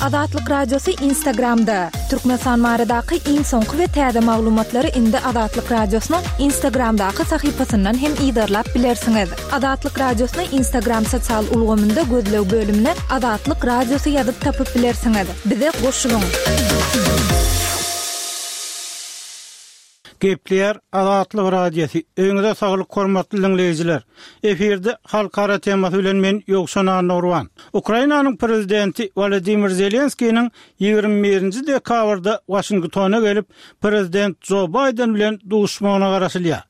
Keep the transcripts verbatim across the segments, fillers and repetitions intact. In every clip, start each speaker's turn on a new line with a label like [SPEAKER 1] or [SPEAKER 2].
[SPEAKER 1] Azatlyk Radiosy Instagramda. Türkmenistan baradaky iň soňky we täze maglumatlary indi Azatlyk Radiosynyň Instagramdaky sahypasyndan hem yzarlap bilersiňiz. Azatlyk Radiosyny Instagram sosial ulgamynda gözleg bölümine Azatlyk Radiosy ýazyp tapyp bilersiňiz. Bize goşulyň.
[SPEAKER 2] Gepleýär Azatlyk Radiosy. Öýüňize saglyk hormatly diňleýjiler. Efirde halkara temasy bilen men Ýowşan Annagurban. Ukrainanyň prezidenti Wladimir Zelenskiniň ýigrimi birinji dekabrda Waşingtona gelip, prezident Jo Baýden bilen duşmagyna garaşylýar.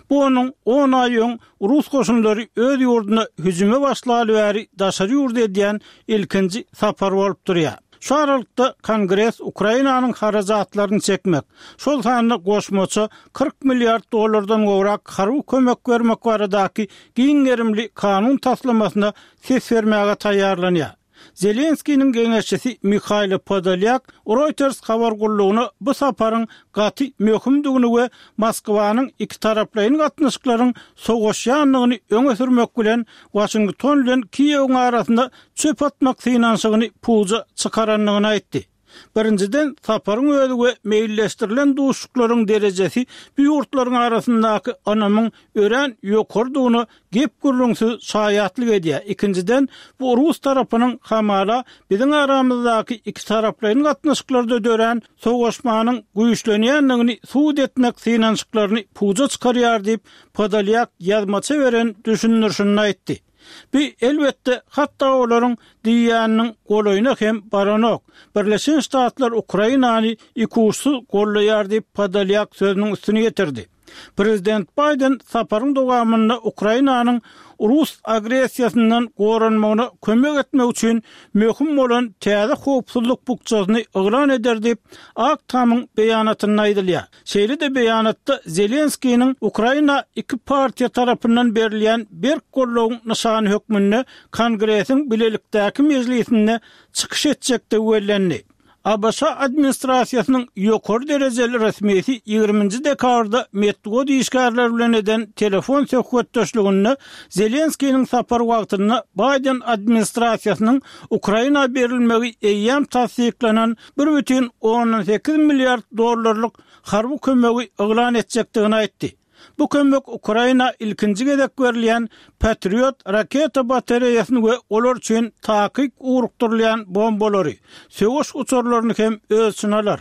[SPEAKER 2] Bu onuň on aý öň rus goşunlary öz ýurduna hüjüme başlaly bäri daşary ýurda edýän ilkinji sapary bolup durýar. Şu aralykda Kongres Ukrainanyň harajatlaryny çekmek, şol sanda goşmaça kyrk milliard dollardan gowrak harby kömek bermek baradaky giň gerimli kanun taslamasyna ses bermäge taýýarlanýar. Zelenskiniň geňeşçisi Mihailo Podolýak Reuters habar gullugyna bu saparyň gaty möhümdigini we Moskwanyň ikitaraplaýyn gatnaşyklaryň sowaşýandygyny öňe sürmek bilen Waşington bilen Kiýewiň arasynda çöp atmak synanyşygyny puja çykarandygyny aýtdy. Birinjiden, saparyň özi we meýilleşdirilen duşuşyklaryň derejesi bu ýurtlaryň arasyndaky ynamyň örän ýokarydygyna gep-gürrüňsiz şaýatlyk edýär. Ikinjiden, bu rus tarapynyň hamala biziň aramyzdaky ikitaraplaýyn gatnaşyklarda dörän sowaşmanyň güýçlenýändigini subut etmek synanyşyklaryny puja çykarýar diýip, Podolýak ýazmaça beren düşündirişinde aýtdy. Bu, elbetde, hatda olaryň diýýäniniň golaýyna hem baranok. Birleşen Ştatlar Ukrainany ikuçsuz gollaýar diýip, Podolýak sözüniň üstüni ýetirdi. Prezident Baýden saparyň dowamynda Ukrainanyň rus agressiýasyndan goranmagyna kömek etmek üçin möhüm bolan täze howpsuzlyk bukjasyny yglan eder diýip, Ak Tamyň beýanatynda aýdylýar. Şeýle-de beýanatda Zelenskiniň Ukraina iki partiýa tarapyndan berilýän berk goldawyň nyşany hökmünde Kongresiň bilelikdäki mejlisinde çykyş etjekdigi bellendi. A B Ş administrasiýasynyň ýokary derejeli resmisi ýigriminji dekabrda metbugat işgärleri bilen eden telefon söhbetdeşliginde Zelenskiniň sapary wagtynda Baýden administrasiýasynyň Ukraina berilmegi eýýäm tassyklanan bir bütin ondan sekiz milliard dollarlyk harby kömegi yglan etjekdigini aýtdy. Bu kömek Ukraina ilkinji gezek berilýän Patriot raketa batareýasyny we olar üçin takyk ugrukdyrylýan bombalary, söweş uçarlaryny hem öz içine alar.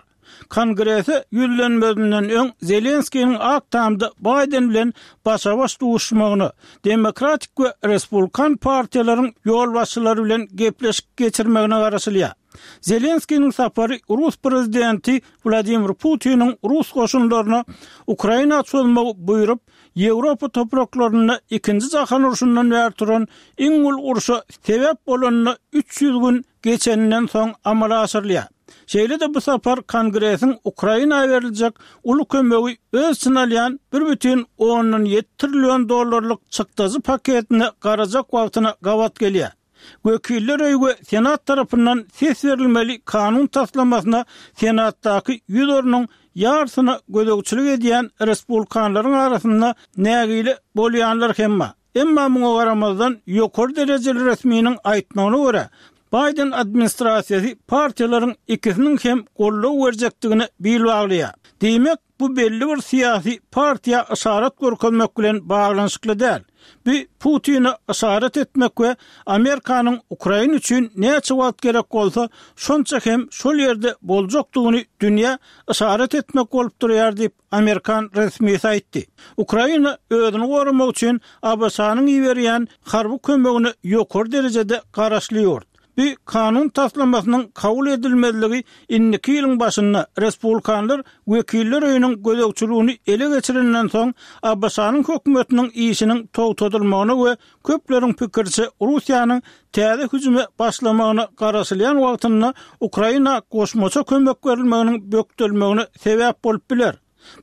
[SPEAKER 2] Kongrese ýüzlenmezinden öň Zelenskiniň Ak Tamda Baýden bilen başa-baş duşmagyna, Demokratik we Respublikan partiýalaryň ýolbaşçylary bilen gepleşik geçirmegine garaşylýar. Zelenskiniň sapary rus prezidenti Wladimir Putiniň rus goşunlaryna Ukraina çozmagy buýrup, Ýewropa topraklarynda ikinji jahan urşundan bäri turan iň uly urşa sebäp bolanyna üç ýüz gün geçeninden soň amala aşyrylýar. Şeýle-de bu sapar Kongresiň Ukraina beriljek uly kömegi öz içine alýan bir bütin ondan ýedi trillion dollarlyk çykdajy paketine garajak wagtyna gabat gelýär. Wekiller öýi we Senat tarapyndan ses berilmeli kanun taslamasyna Senatdaky ýüz ornuň ýarysyna gözegçilik edýän respublikanlaryň arasynda nägile bolýanlar hem bar. Emma muňa garamazdan, ýokary derejeli resminiň aýtmagyna görä, Baýden administrasiýasy partiýalaryň ikisiniň hem goldaw berjekdigine bil baglaýar. Diýmek, bu belli bir syýasy partiýa yşarat görkezmek bilen baglanyşykly däl. Bu Putine yşarat etmek we Amerikanyň Ukraina üçin näçe wagt gerek bolsa, şonça hem şol ýerde boljakdygyny dünýä yşarat etmek bolup durýar diýip, amerikan resmisi aýtdy. Ukraina özüni goramak üçin A B Ş-nyň iberýän harby kömegine ýokary derejede garaşly ýurt. Bu kanun taslamasynyň kabul edilmezligi indiki ýylyň başynda respublikanlar Wekiller öýüniň gözegçiligini ele geçirenden soň A B Ş-nyň hökümetiniň işiniň togtadylmagyna we köpleriň pikiriçe Russiýanyň täze hüjüme başlamagyna garaşylýan wagtynda Ukraina goşmaça kömek berilmeginiň bökdelmegine sebäp bolup biler.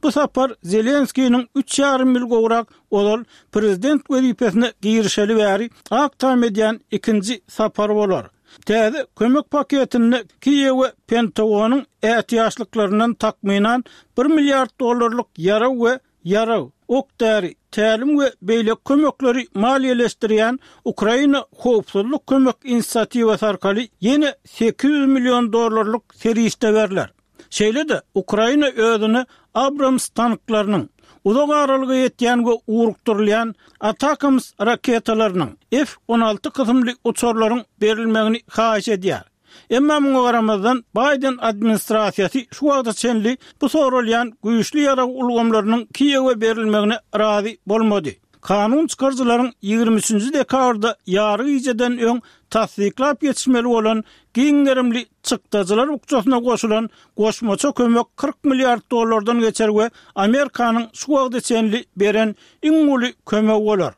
[SPEAKER 2] Bu sapar Zelenskiniň üç ýarym ýyl gowrak ozal prezident wezipesine girişeli bäri Ak Tam edýän ikinji sapary bolar. Täze kömek paketinde Kiýewe Pentagonyň ätiýaçlyklaryndan takmynan bir milliard dollarlyk ýarag we ýarag, Ok-däri, tälim we beýleki kömekleri maliýeleşdirýän Ukraina howpsuzlyk kömek inisiatiwasy arkaly ýene sekiz ýüz million dollarlyk serişde berler. Şeýle-de Ukraina özüne Abrams tanklarynyň, uzak aralyga ýetýän we ugrukdyrylýan Atacms raketalarynyň, F on alty kysymly uçarlaryň berilmegini haýyş edýär. Emma muňa garamazdan Biden administrasiýasy şu wagta çenli bu soralýan güýçli ýarag ulgamlarynyň Kiýewe berilmegine razy bolmady. Kanun çykaryjylaryň ýigrimi üçünji dekabrda ýary gijeden öň tassyklap geçmeli bolan giň gerimli çykdajylar bukjasyna goşulan goşmaça kömek kyrk milliard dollardan geçer we Amerikanyň şu wagta çenli beren iň uly kömegi bolar.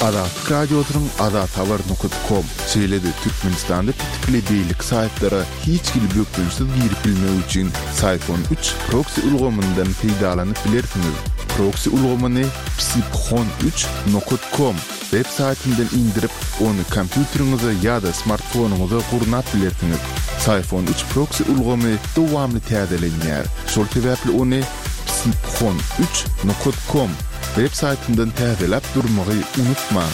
[SPEAKER 3] Azatlyk Radiosynyň azathabar nokta com, şeýle-de Türkmenistanda petikli beýleki saýtlara hiç hili bökdençsiz girip bilmek üçin Syphon üç proxy ulgamyndan peýdalanyp bilersiňiz. Proxy ulgamyny psiphon üç nokta com web saýtyndan indirip, ony kompýuteriňize ýa-da smartfonyňyza gurnap bilersiňiz. Syphon üç proxy ulgamy dowamly täzelenýär. Şol sebäpli ony psiphon üç nokta com web saýtyndan täzeläp durmagy unutmaň.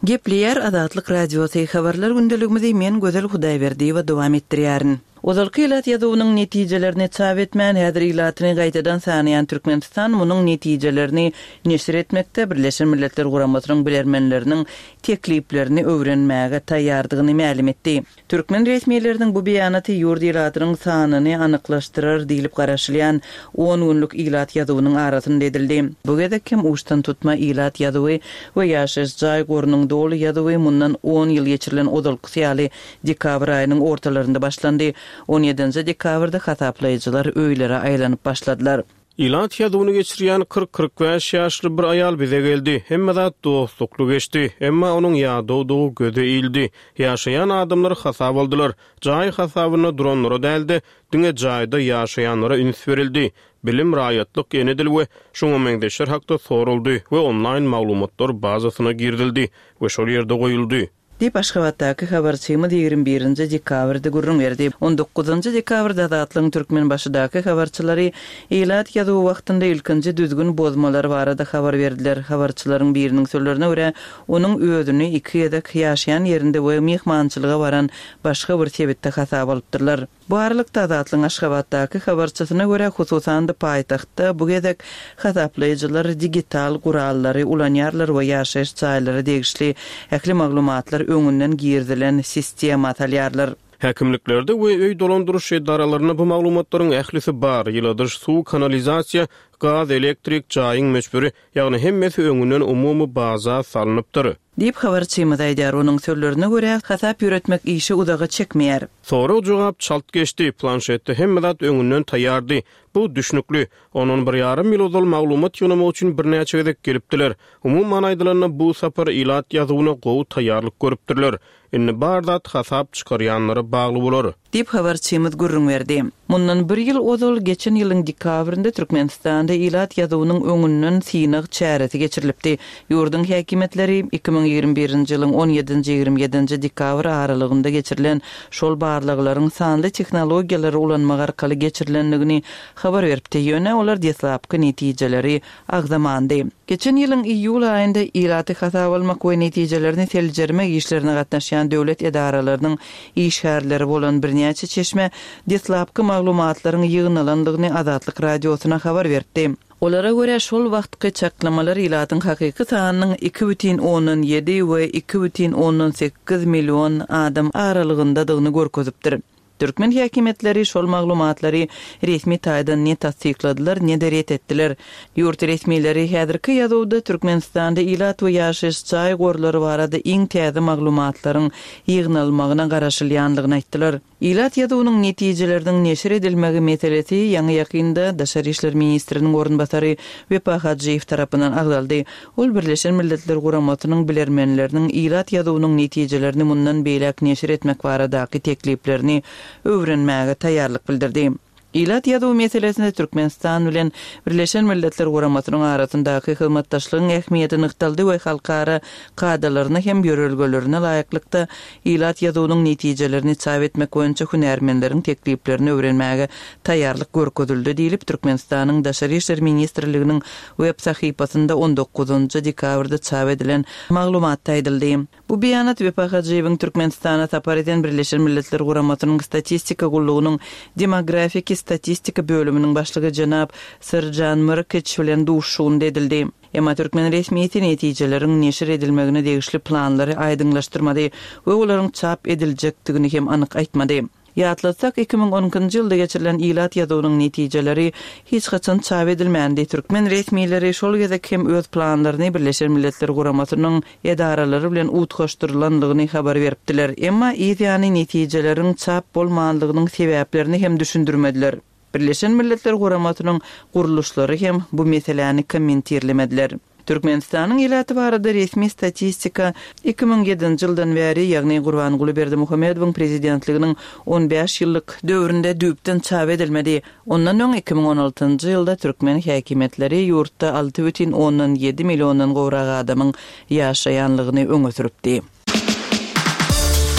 [SPEAKER 4] Gepleýär Azatlyk Radiosy habarlar gündeligimizi men Gözel Hudaýberdiýewa dowam etdirýärin. Ozalky ilat ýazuwynyň netijelerini çap etmän, häzir ilatyny gaýtadan sanaýan Türkmenistan munuň netijelerini neşir etmekde Birleşen Milletler Guramasynyň bilermenleriniň tekliplerini öwrenmäge taýýardygyny mälim etdi. Türkmen resmileriniň bu beýanaty ýurt ilatynyň sanyny anyklaşdyrar diýlip garaşylýan on günlük ilat ýazuwynyň arasynda edildi. Bu gezek hem uçdan tutma ilat ýazuwy we ýaşaýyş jaý gorunyň doly ýazuwy mundan on ýyl geçirilen ozalkysy ýaly dekabr aýynyň ortalarynda başlandy. on ýedinji dekabrda hasaplaýjylar öýlere aýlanyp başladylar.
[SPEAKER 5] Ilat ýazuwyny geçirýän kyrk-kyrk bäş ýaşly bir aýal bize geldi. Hemme zat dostlukly geçdi. Emma onuň ýadawdygy göze ildi. Ýaşaýan adamlar hasap aldylar. Jaý hasabynda duranlara däldi, diňe jaýda ýaşaýanlara üns berildi. Bilim, raýatlyk, ene dil we şoňa meňzeşler hakda soruldy we onlaýn maglumatlar bazasyna girizildi we şol ýerde goýuldy.
[SPEAKER 4] Diýip Aşgabatdaky habarçymyz ýigrimi birinji dekabrda gürrüň berdi. on dokuzynjy dekabrda Azatlygyň Türkmenbaşydaky habarçylary ilat ýazuwy wagtynda ilkinji düzgün bozmalar barada habar berdiler. Habarçylaryň biriniň sözlerine görä, onuň özüni iki gezek ýaşaýan ýerinde we myhmançylyga baran başga bir sebitde hasap alypdyrlar. Bu aralykda Azatlygyň Aşgabatdaky habarçysyna görä, hususan-da paýtagtda bu gezek hasaplaýjylar digital gurallary ulanýarlar we ýaşaýyş jaýlary degişli ähli maglumatlar öňünden girizilen sistema salýarlar.
[SPEAKER 5] Häkimliklerde we öý dolandyryş edaralarynda bu maglumatlaryň ählisi bar. Ýyladyş, suw, kanalizasiýa, gaz, elektrik, jaýyň möçberi, ýagny hemmesi öňünden umumy baza salnypdyr.
[SPEAKER 4] Diýip habarçymyz aýdar. Onuň sözlerine görä, hasap ýöretmek işi uzaga çekmeýär.
[SPEAKER 5] Sorag jogap çalt geçdi. Planşetde hemme zat öňünden taýýardy. Bu düşnükli. Ondan bir ýarym ýyl ozal maglumat ýygnamak üçin birnäçe gezek gelipdiler. Umuman aýdylanda bu sapar ilat ýazuwyna gowy taýýarlyk görüpdirler. Indi bar zat hasap çykarýanlara bagly bolar.
[SPEAKER 4] Diýip habarçymyz gürrüň berdi. Mundan bir ýyl ozal geçen ýylyň dekabrynda Türkmenistanda ilat ýazuwynyň öňünden synag çäresi geçirilipdi. Ýurduň häkimiýetleri iki müň ýigrimi birinji ýylyň on ýedinji ýigrimi ýedinji dekabr aralygynda geçirilen şol barlaglaryň sanly tehnologiýalary ulanmak arkaly geçirilendigini habar beripdi. Ýöne olar deslapky netijeleri agzamandy. Geçen ýylyň iýul aýynda ilaty hasap almak we netijelerini seljermek işlerine gatnaşýan döwlet edaralarynyň işgärleri bolan birnäçe çeşme deslapky maglumatlaryň ýygnalandygyny Azatlyk radiosyna habar berdi. Olara görä şol wagtky çaklamalar ilatyň hakyky sanynyň iki bütin ondan ýedi we iki bütin ondan sekiz million adam aralygyndadygyny görkezipdir. Türkmen häkimiýetleri şol maglumatlary resmi taýdan ne tassykladylar, ne de ret etdiler. Ýurt resmileri häzirki ýazuwda Türkmenistanda ilat we ýaşaýyş jaý gorlary barada iň täze maglumatlaryň ýygnalmagyna garaşylýandygyny aýtdylar. Ilat ýazuwynyň netijeleriniň neşir edilmegi meselesi ýaňy ýakynda Daşary işler ministriniň orunbasary Wepa Hajyýew tarapyndan agzaldy. Ol Birleşen Milletler Guramasynyň bilermenleriniň ilat ýazuwynyň netijelerini mundan beýläk neşir etmek baradaky tekliplerini öwrenmäge taýýarlyk bildirdi. Ilat ýazuwy meselesinde Türkmenistan bilen Birleşen Milletler Guramasynyň arasyndaky hyzmatdaşlygyň ähmiýeti nygtaldy we halkara kadalaryna hem ýörelgelerine laýyklykda ilat ýazuwynyň netijelerini çap etmek boýunça hünärmenleriň tekliplerini öwrenmäge taýýarlyk görkezildi diýlip, Türkmenistanyň Daşary işler ministrliginiň web sahypasynda on dokuzynjy dekabrda çap edilen maglumatda aýdyldy. Bu beýanat Wepa Hajyýewiň Türkmenistana sapar eden Birleşen Milletler Guramasynyň Statistika gullugynyň Demografiki statistika bölüminiň başlygy jenap Srđan Mrkiç bilen duşuşygynda edildi. Emma türkmen resmiýeti netijeleriň neşir edilmegine degişli planlary aýdyňlaşdyrmady we olaryň çap ediljekdigini hem anyk aýtmady. Ýatlatsak, iki müň on ikinji ýylda geçirilen ilat ýazuwynyň netijeleri hiç haçan çap edilmändi. Türkmen resmileri şol gezek hem öz planlaryny Birleşen Milletler Guramasynyň edaralary bilen utgaşdyrylanlygyny habar beripdiler. Emma yz ýany netijeleriň çap bolmanlygynyň sebäplerini hem düşündirmediler. Birleşen Milletler Guramasynyň gurluşlary hem bu meseläni kommentirlemediler. Türkmenistanyň ilaty barada resmi statistika iki müň ýedinji ýyldan bäri, ýagny Gurbanguly Berdimuhamedowyň prezidentliginiň on bäş ýyllyk döwründe düýpden çap edilmedi. Ondan öň iki müň on altynjy ýylda türkmen häkimiýetleri ýurtda alty bütin ondan ýedi milliondan gowrak adamyň ýaşaýanlygyny öňe sürüpdi.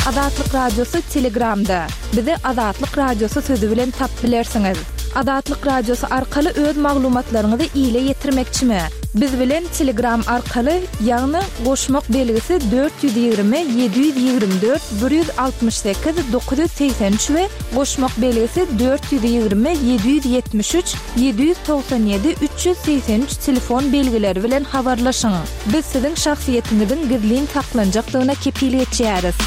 [SPEAKER 1] Azatlyk Radiosy Telegramda. Bizi Azatlyk Radiosy sözi bilen tap bilersiňiz. Azatlyk Radiosy arkaly öz maglumatlaryňyzy ile ýetirmekçimi? Biz bilen Telegram arkaly, ýagny goşmak belgisi dört ýüz ýigrimi, ýedi ýüz ýigrimi dört, bir ýüz altmyş sekiz, dokuz ýüz segsen üç we goşmak belgisi dört ýüz ýigrimi, ýedi ýüz ýetmiş üç, ýedi ýüz togsan ýedi, üç ýüz segsen üç telefon belgileri bilen habarlaşyň. Biz siziň şahsyýetiňiziň gizlin saklanjakdygyna kepil geçýäris.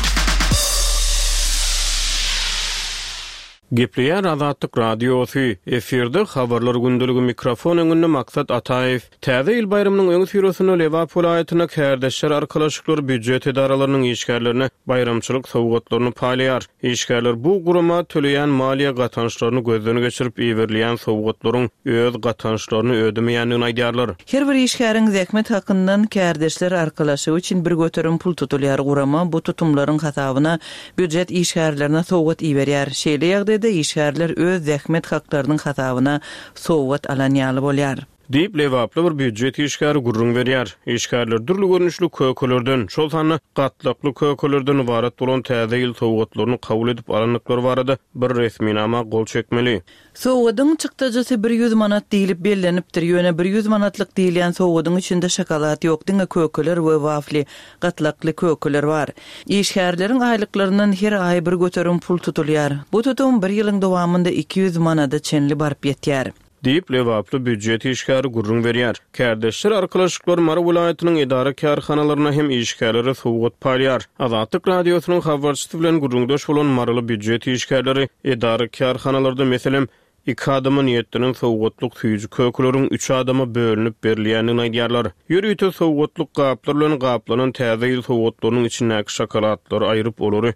[SPEAKER 5] Gepleýär Azatlyk Radiosy, efirde habarlar gündeligi mikrofon öňünde Maksat Ataýew. Täze ýyl baýramynyň öňi syrasynda Lebap welaýatynda kärdeşler arkalaşyklary býujet edaralarynyň işgärlerine baýramçylyk sowgatlaryny paýlaýar. Işgärler bu gurama töleýän maliýe gatançlaryny gözden geçirip iberilýän sowgatlaryň öz gatançlaryny ödemeýändigini aýdýarlar.
[SPEAKER 4] Her bir işgäriň zähmet hakyndan kärdeşler arkalaşygy üçin bir göterim pul tutulýar. Gurama bu tutumlaryň hasabyna býujet işgärlerine sowgat iberýär. Şeýle ýagdaýda işgärler öz zähmet haklarynyň hasabyna sowgat alan ýaly bolýar.
[SPEAKER 5] Diýip Lebaply bir býujet işgäri gürrüň berýär. Işgärler dürli görnüşli kökelerden, şol sanda gatlakly kökelerden ybarat bolan täze ýyl sowgatlaryny kabul edip alandyklary barada bir resminama gol çekmeli.
[SPEAKER 4] Sowgadyň çykdajysy bir ýüz manat diýlip bellenipdir. Ýöne bir ýüz manatlyk diýilýän sowgadyň içinde şokolad ýok, diňe kökeler we wafli, gatlakly kökeler bar. Işgärleriň aýlyklaryndan her aý bir göterim pul tutulýar. Bu tutum bir ýylyň dowamynda iki ýüz manada çenli baryp ýetýär.
[SPEAKER 5] Diýip Lebaply býujet işgäri gürrüň berýär. Kärdeşler arkalaşyklar Mary welaýatynyň edara kärhanalaryna hem işgärlere sowgat paýlaýar. Azatlyk Radiosynyň habarçysy bilen gürrüňdeş bolan Maryly býujet işgärleri edara kärhanalarda meselem iki adama niýetlenen sowgatlyk süýji kökeleriň üç adama bölünip berilýändigini aýdýarlar. Ýörite sowgatlyk gaplar bilen gaplanan täze ýyl sowgatlarynyň içindäki şokoladlary aýryp olary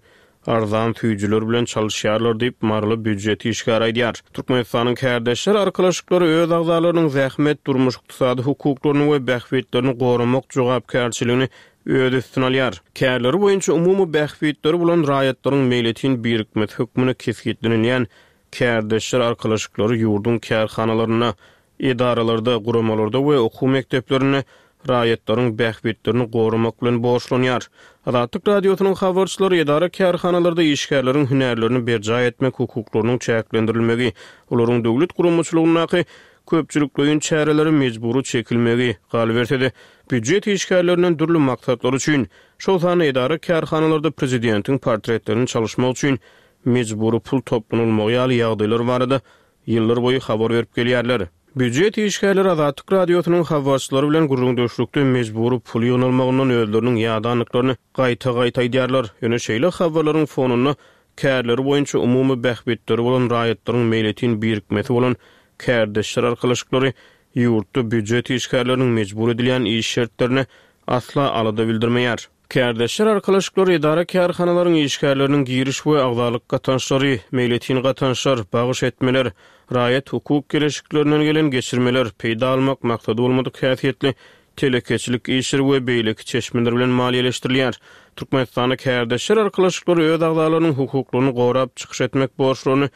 [SPEAKER 5] arzan süýjüler bilen çalyşýarlar diýip Maryly býujet işgäri aýdýar. Türkmenistanyň kärdeşler arkalaşyklary öz agzalarynyň zähmet, durmuş, ykdysady hukuklaryny we bähbitlerini goramak jogapkärçiligini öz üstüne alýar. Kärleri boýunça umumy bähbitleri bolan raýatlaryň meýletin birikmesi hökmünde kesgitlenilýän kärdeşler arkalaşyklary ýurduň kärhanalarynda, edaralarda, guramalarda we okuw mekdeplerinde raýatlaryň bähbitlerini goramak bilen borçlanýar. Azatlyk Radiosynyň habarçylary edara kärhanalarda işgärleriň hünärlerini berjaý etmek hukuklarynyň çäklendirilmegi, olaryň döwlet guramaçylygyndaky köpçülikleýin çäreleri mejbury çekilmegi, galyberse-de býujet işgärlerinden dürli maksatlar üçin, şol sanda edara kärhanalarda prezidentiň portretlerini çalyşmak üçin mejbury pul toplanylmagy ýaly ýagdaýlar barada ýyllar boýy habar berip gelýärler. Býujet işgärleri Azatlyk Radiosynyň habarçylary bilen gürrüňdeşlikde mejbury pul ýygnalmagyndan özleriniň ýadanlyklaryny gaýta-gaýta aýdýarlar. Ýöne şeýle habarlaryň fonunda kärleri boýunça umumy bähbitleri bolan raýatlaryň meýletin birikmesi bolan kärdeşler arkalaşyklary ýurtda býujet işgärleriniň mejbur edilýän iş şertlerine asla alada bildirmeýär. Kärdeşler arkalaşyklary edara kärhanalaryň işgärleriniň giriş we agzalyk gatançlary, meýletin gatançlar, bagyş etmeler, raýat hukuk geleşiklerinden gelen geçirmeler, peýda almak maksady bolmadyk häsiýetli telekeçilik işleri we beýleki çeşmeler bilen maliýeleşdirilýär. Türkmenistanda kärdeşler arkalaşyklary öz agzalarynyň hukuklaryny gorap çykyş etmek borçlaryny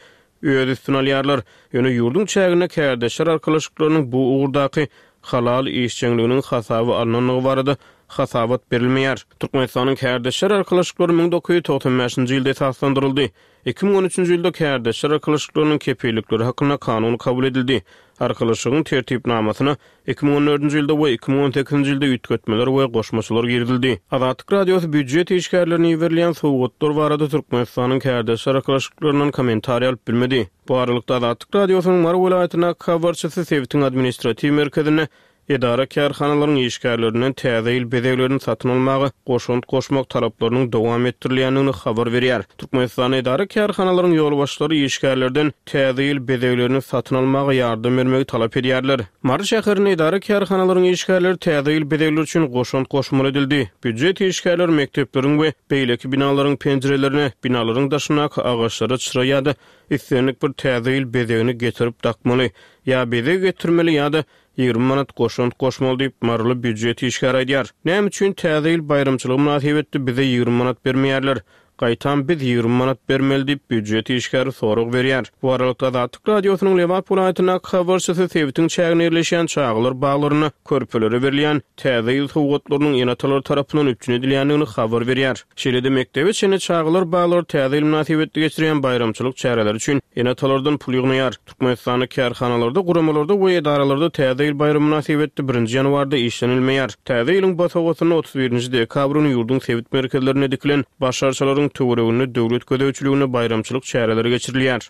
[SPEAKER 5] öz üstüne alýarlar. Ýöne ýurduň çäginde kärdeşler arkalaşyklarynyň bu ugurdaky halal işjeňliginiň hasaby alynandygy barada hasabat berilmeýär. Türkmenistanyň kärdeşler arkalaşyklary müň dokuz ýüz togsan bäşinji ýylda esaslandyryldy. Iki müň on üçünji ýylda kärdeşler arkalaşyklarynyň kepillikleri hakynda kanun kabul edildi. Arkalaşygyň tertipnamasyna iki müň on dördünji ýylda we iki müň on sekizinji ýylda üýtgetmeler we goşmaçalar girizildi. Azatlyk Radiosy býujet işgärlerine iberilen sowgatlar barada Türkmenistanyň kärdeşler arkalaşyklaryndan kommentariý alyp bilmedi. Bu aralykda Azatlyk Radiosynyň Mary welaýatyndaky habarçysy sebitiň administratiw merkezinde edara kärhanalaryň işgärlerinden täze ýyl bezeglerini satyn almaga goşant goşmak talaplarynyň dowam etdirilýändigini habar berýär. Türkmenistan edara kärhanalaryň ýolbaşçylary işgärlerden täze ýyl bezeglerini satyn almaga ýardam bermegi talap edýärler. Mary şäherinde edara kärhanalaryň işgärleri täze ýyl bezegleri üçin goşant goşmaly edildi. Býujet işgärleri mekdepleriň we beýleki binalaryň penjirelerine, binalaryň daşyndaky agaçlara çyra ýa-da islendik bir täze ýyl bezegini getirip dakmaly, ýa bezeg getirmeli ýa-da ýigrimi manat goşant goşmaly diýip Maryly býujet işgäri aýdýar. Näme üçin täze ýyl baýramçylygy mynasybetli bize ýigrimi manat bermeýärler? Gaýtam biz ýigrimi manat bermeli diýip býujet işgäri sorag berýär. Bu aralykda Azatlyk Radiosynyň Lebap welaýatyndaky habarçysy sebitiň çäginde ýerleşýän çagalar baglaryna körpelere berilýän täze ýyl sowgatlarynyň ene-atalar tarapyndan üpjün edilýändigini habar berýär. Şeýle-de mekdebe çenli çagalar baglary täze ýyl mynasybetli geçirýän baýramçylyk çäreleri üçin ene-atalardan pul ýygnaýar. Türkmenistanda kärhanalarda, guramalarda we edaralarda täze ýyl baýramy mynasybetli birinji ýanwarda işlenilmeýär. Täze ýylyň basagasynda otuz birinji dekabryn ýurduň sebit merkezlerinde dikilen baş arçalaryň töwereginde döwlet gözegçiliginde baýramçylyk çäreleri geçirilýär.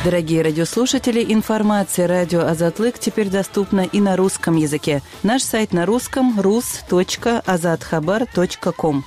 [SPEAKER 4] Дорогие радиослушатели, информация радио Азатлык теперь доступна и на русском языке. Наш сайт на русском рус точка азатхабар точка ком.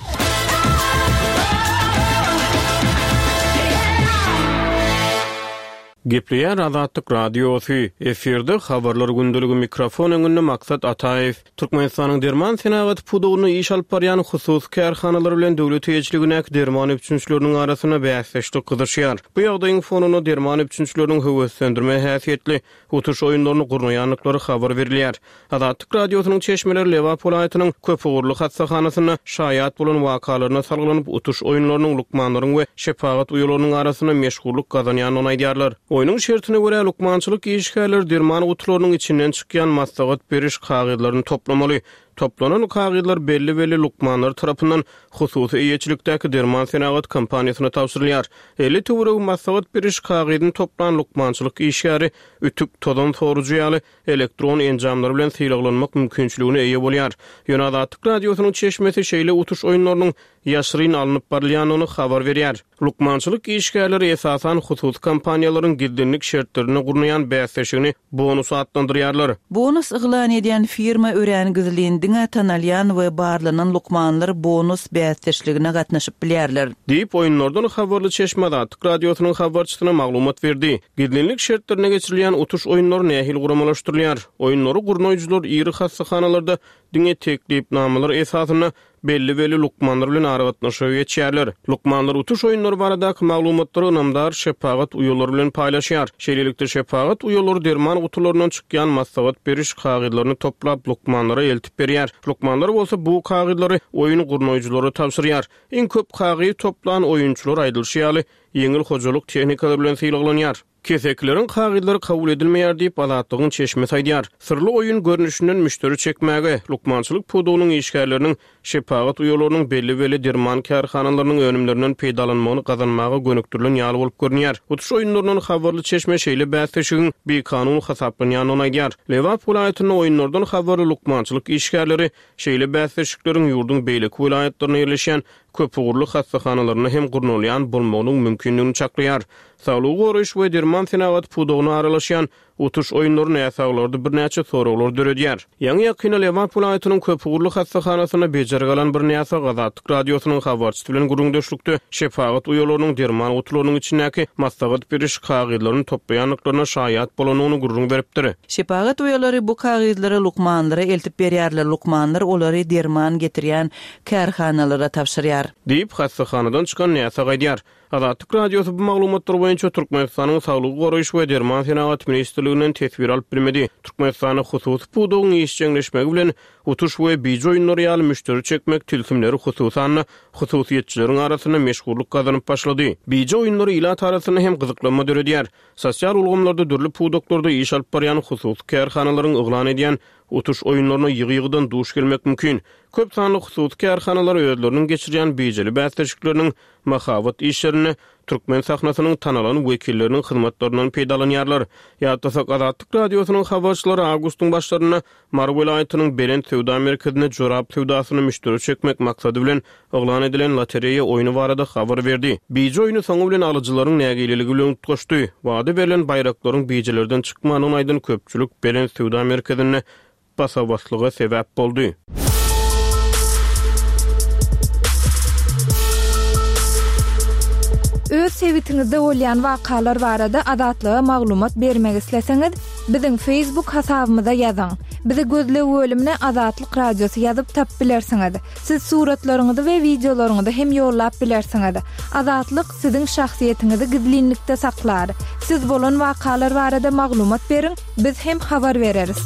[SPEAKER 5] Gepleýär Azatlyk Radiosy, efirde habarlar gündeligi mikrofon öňünde Maksat Ataýew. Türkmenistanyň derman senagaty pudagynda iş alyp barýan hususy kärhanalar bilen döwlet eýeçiligindäki derman üpjünçileriniň arasynda bäsdeşlik gyzyşýar. Bu ýagdaýyň fonunda derman üpjünçileriniň höweslendirme häsiýetli utuş oýunlaryny gurnaýandyklary habar berilýär. Azatlyk Radiosynyň çeşmeleri Lebap welaýatynyň Köpugurly hassahanasynda şaýat bolan wakalaryna salgylanyp utuş oýunlarynyň lukmanlaryň we şepagat uýalarynyň arasynda meşgullyk gazanýandygyny aýdýarlar. Oýnuň şertine görä lukmançylyk işgärleri derman gutularynyň içinden çykýan maslahat beriş kagyzlaryny toplamaly. Toplanan kagyzlar belli-belli lukmanlar tarapyndan hususy eýeçilikdäki derman senagat kompaniýasyna tabşyrylýar. Elli töweregi maslahat beriş kagyzyny toplan lukmançylyk işgäri ütük tozan sorujy ýaly elektron enjamlar bilen sylaglanmak mümkinçiligine eýe bolýar. Ýöne Azatlyk Radiosynyň çeşmesi şeýle utuş oýunlarynyň ýaşyryn alnyp barylýandygyny habar berýär. Lukmançylyk işgärleri esasan hususy kompaniýalaryň gizlinlik şertlerine gurnaýan bäsleşigini bonus atlandyrýarlar.
[SPEAKER 4] Bonus yglan edýän firma örän gizlin diňe tanalýan we barlanan lukmanlar bonus bäsdeşligine gatnaşyp bilýärler.
[SPEAKER 5] Diýip oýunlardan habarly çeşme Azatlyk Radiosynyň habarçysyna maglumat berdi. Gizlinlik şertlerine geçirilýän utuş oýunlary nähili guramalaşdyrylýar? Oýunlary gurnaýjylar iri hassahanalarda diňe teklipnamalar esasynda belli-belli lukmanlar bilen aragatnaşyga geçýärler. Lukmanlar utuş oýunlary baradaky maglumatlary ynamdar şepagat uýalary bilen paýlaşýar. Şeýlelikde şepagat uýalary derman gutularyndan çykýan maslahat beriş kagyzlaryny toplap lukmanlara eltip berýär. Lukmanlar bolsa bu kagyzlary oýun gurnaýjylara tabşyrýar. Iň köp kagyz toplan oýunçylar aýdylyşy ýaly ýeňil hojalyk tehnikalary bilen sylaglanýar. Kesekleriň kagyzlary kabul edilmeýär diýip Azatlygyň çeşmesi aýdýar. Syrly oýun görnüşinden müşderi çekmäge, lukmançylyk pudagynyň işgärleriniň şepagat uýalarynyň belli-belli derman kärhanalarynyň önümlerinden peýdalanmagyny gazanmaga gönükdirilen ýaly bolup görünýär. Utuş oýunlaryndan habarly çeşme şeýle bäsleşigiň bikanun hasaplanýandygyny aýdýar. Lebap welaýatynda oýunlardan habarly lukmançylyk işgärleri şeýle bäsleşikleriň ýurduň beýleki welaýatlarynda ýerleşýän köpugurly hassahanalarynda hem gurnalýan bolmagynyň mümkindigini çaklaýar. Saglygy goraýyş we derman senagaty pudagyna aralaşýan utuş oýunlary näsaglarda birnäçe soraglar döredýär. Ýaňy ýakynda Lebap welaýatynyň köpugurly hassahanasyna bejergi alan bir näsag Azatlyk Radiosynyň habarçysy bilen gürrüňdeşlikde şepagat uýalarynyň derman gutularynyň içindäki maslahat beriş kagyzlaryny toplaýandyklaryna şaýat bolandygyny gürrüň beripdir.
[SPEAKER 4] Şepagat uýalary bu kagyzlary lukmanlara eltip berýärler. Lukmanlar olary derman getirýän kärhanalara tabşyrýar.
[SPEAKER 5] Diýip hassahanadan çykan näsag aýdýar. Azatlyk Radiosy bu maglumatlar boýunça Türkmenistanyň Saglygy goraýyş we derman senagaty ministrliginiň ministrliginden teswir alyp bilmedi. Türkmenistanda hususy pudagyň işjeňleşmegi bilen utuş we bije oýunlary ýaly müşderi çekmek tilsimleri hususan-da hususyýetçileriň arasynda meşhurlyk gazanyp başlady. Bije oýunlary ilat arasynda hem gyzyklanma döredýär. Sosial ulgamlarda dürli pudaklarda iş alyp barýan hususy kärhanalaryň yglan edýän utuş oýunlaryna ýygy-ýygydan duş gelmek mümkin. Köp sanly hususy kärhanalar özleriniň geçirýän bijeli bäsleşikleriniň mahabat işlerinde türkmen sahnasynyň tanalan wekilleriniň hyzmatlaryndan peýdalanýarlar. Ýatlasak, Azatlyk Radiosynyň habarçylary awgustyň başlarynda Mary welaýatynyň Belent söwda merkezinde jorap söwdasyny müşderi çekmek maksady bilen yglan edilen lotereýa oýny barada habar berdi. Bije oýny soňy bilen alyjylaryň nägileligi bilen utgaşdy. Wada berlen baýraklaryň bijelerden çykmandygyny aýdan köpçülik Belent söwda merkezinde basa-baslyga sebäp boldy.
[SPEAKER 1] Öz sebitiňizde bolýan wakalar barada Azatlyga maglumat bermek isleseňiz, biziň Facebook hasabymyza ýazyň. Bizi gözleg bölümine Azatlyk Radiosy ýazyp tapyp bilersiňiz. Siz suratlaryňyzy we wideolaryňyzy hem ýollap bilersiňiz. Azatlyk siziň şahsyýetiňizi gizlinlikde saklar. Siz bolan wakalar barada maglumat beriň, biz hem habar bereris.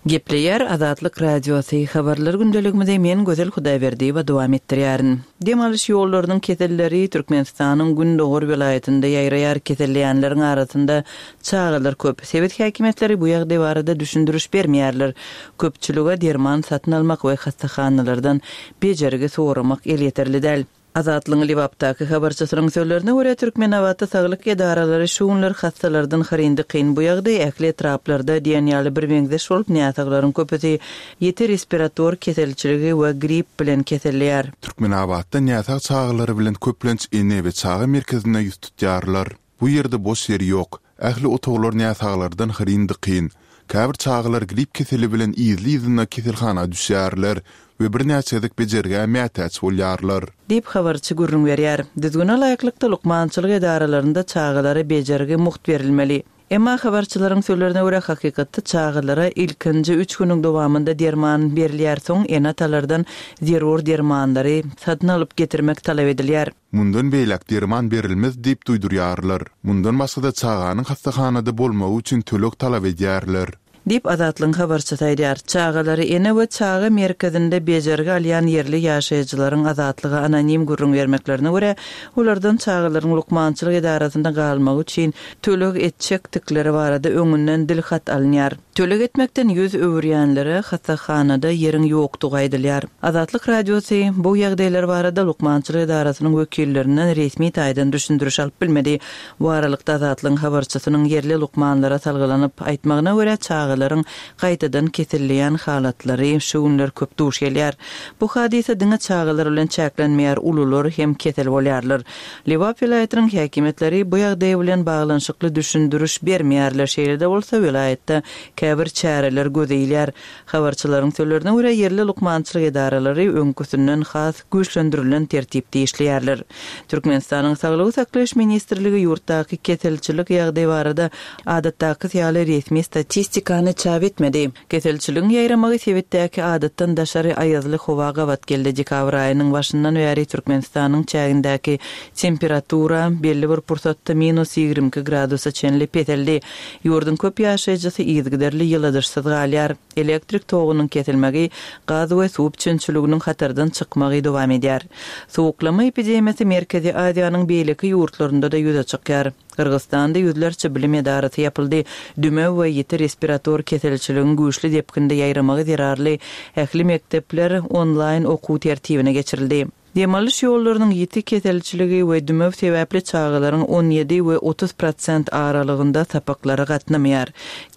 [SPEAKER 4] Gepleýär Azatlyk Radiosy habarlar gündeligimizi men Gözel Hudaýberdiýewa dowam etdirýärin. Dem alyş ýollarynyň keselleri Türkmenistanyň Gündogar welaýatynda ýaýraýar keselleýänleriň arasynda çagalar köp. Sebit häkimiýetleri bu ýagdaý barada düşündiriş bermeýärler. Köpçülige derman satyn almak we hassahanalardan bejergi soramak elýeterli däl. Azatlygyň Lebapdaky habarçysynyň sözlerine görä Türkmenabatda saglyk edaralary şu günler hassalardan hyryndy kyn bu ýagdaý ähli etraplarda diýen ýaly bir meňzeş bolup näsaglaryň köpüsi ýiti respirator keselçiligi we grip bilen keselleýär.
[SPEAKER 3] Türkmenabatda näsag çagalary bilen köplenç ene we çaga merkezine ýüz tutýarlar. Bu ýerde boş ýer ýok. Ähli otaglar näsaglardan hyryndy kyn. Käbir çagalar grip keseli bilen yzly-yzyna keselhana düşýärler we birnäçe gezek bejergä mätäç bolýarlar.
[SPEAKER 4] Diýip habarçy gürrüň berýär. Düzgüne laýyklykda lukmançylyk edaralarynda çagalara bejergi mugt berilmeli. Emma habarçylaryň sözlerine görä hakykatda çagalara ilkinji üç günüň dowamynda derman berilýär, soň ene-atalardan zerur dermanlary satyn alyp getirmek talap edilýär.
[SPEAKER 3] Mundan beýläk derman berilmez diýip duýdurýarlar. Mundan başga-da çaganyň hassahanada bolmagy üçin töleg talap edýärler.
[SPEAKER 4] Diýip Azatlygyň habarçysy aýdýar. Çagalary ene we çaga merkezinde bejergi alýan ýerli ýaşaýjylaryň Azatlyga anonim gürrüň bermeklerine görä, olardan çagalaryň lukmançylyk edarasynda galmagy üçin töleg etjekdikleri barada öňünden dilhat alynýar. Töleg etmekden ýüz öwürýänlere hassahanada ýeriň ýokdugy aýdylýar. Azatlyk Radiosy bu ýagdaýlar barada lukmançylyk edarasynyň wekillerinden resmi taýdan düşündiriş alyp bilmedi. Bu aralykda Azatlygyň habarçysynyň ýerli lukmanlara salgylanyp aýtmagyna görä çagalaryň gaýtadan keselleýän halatlary şu günler köp duş gelýär. Bu hadysa diňe çagalar bilen çäklenmeýär, ulular hem kesel bolýarlar. Lebap welaýatynyň häkimiýetleri bu ýagdaý bilen baglanyşykly düşündiriş bermeýärler. Şeýle-de bolsa welaýatda käbir çäreler göze ilýär. Habarçylaryň sözlerine görä ýerli lukmançylyk edaralary öňküsinden has güýçlendirilen tertipde işleýärler. Türkmenistanyň Saglygy saklaýyş ministrligi ýurtdaky keselçilik ýagdaýy barada adatdaky ýaly resmi statistikany çap etmedi. Keselçiligiň ýaýramagy sebitdäki adatdan daşary aýazly howa gabat geldi. Dekabr aýynyň başyndan bäri Türkmenistanyň çägindäki temperatura belli bir pursatda minus ýigrimi iki gradusa çenli peseldi. Ýurduň köp ýaşaýjysy yzygiderli ýyladyşsyz galýar. Elektrik togunyň kesilmegi, gaz we suw üpjünçiliginiň hatardan çykmagy dowam edýär. Sowuklama epidemiýasy Merkezi Aziýanyň beýleki ýurtlarynda-da ýüze çykýar. Gyrgyzystanda ýüzlerçe bilim edarasy ýapyldy. Dümew we ýiti respirator keselçiligiň güýçli depginde ýaýramagy zerarly ähli mekdepler onlaýn okuw tertibine geçirildi. Dem alyş ýollarynyň ýiti keselçiligi we dümew sebäpli çagalaryň on ýedi we otuz prosent aralygynda sapaklara gatnamaýar.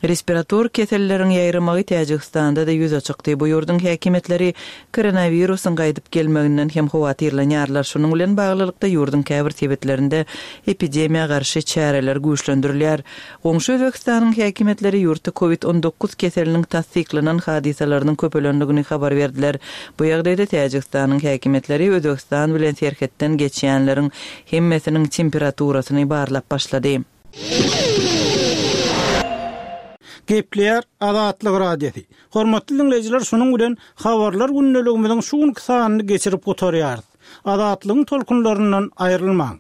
[SPEAKER 4] Respirator keselleriň ýaýramagy Täjigistanda-da ýüze çykdy. Bu ýurduň häkimiýetleri koronawirusyň gaýdyp gelmeginden hem howatyrlanýarlar. Şunuň bilen baglylykda ýurduň käbir sebitlerinde epidemiýa garşy çäreler güýçlendirilýär. Goňşy Özbegistanyň häkimiýetleri ýurtda covid on dokuz keseliniň tassyklanan hadysalarynyň köpelendigini habar berdiler. Bu ýagdaýda Täjigistanyň häkimiýetleri Özbegistan bilen serhetden geçýänleriň hemmesiniň temperaturasyny barlap başlady.
[SPEAKER 2] Gepleýär Azatlyk Radiosy. Hormatly dinleýjiler, şunuň bilen habarlar gündeligimiziň şu günki sanyny geçirip gutarýarys. Azatlygyň tolkunlaryndan aýrylmaň.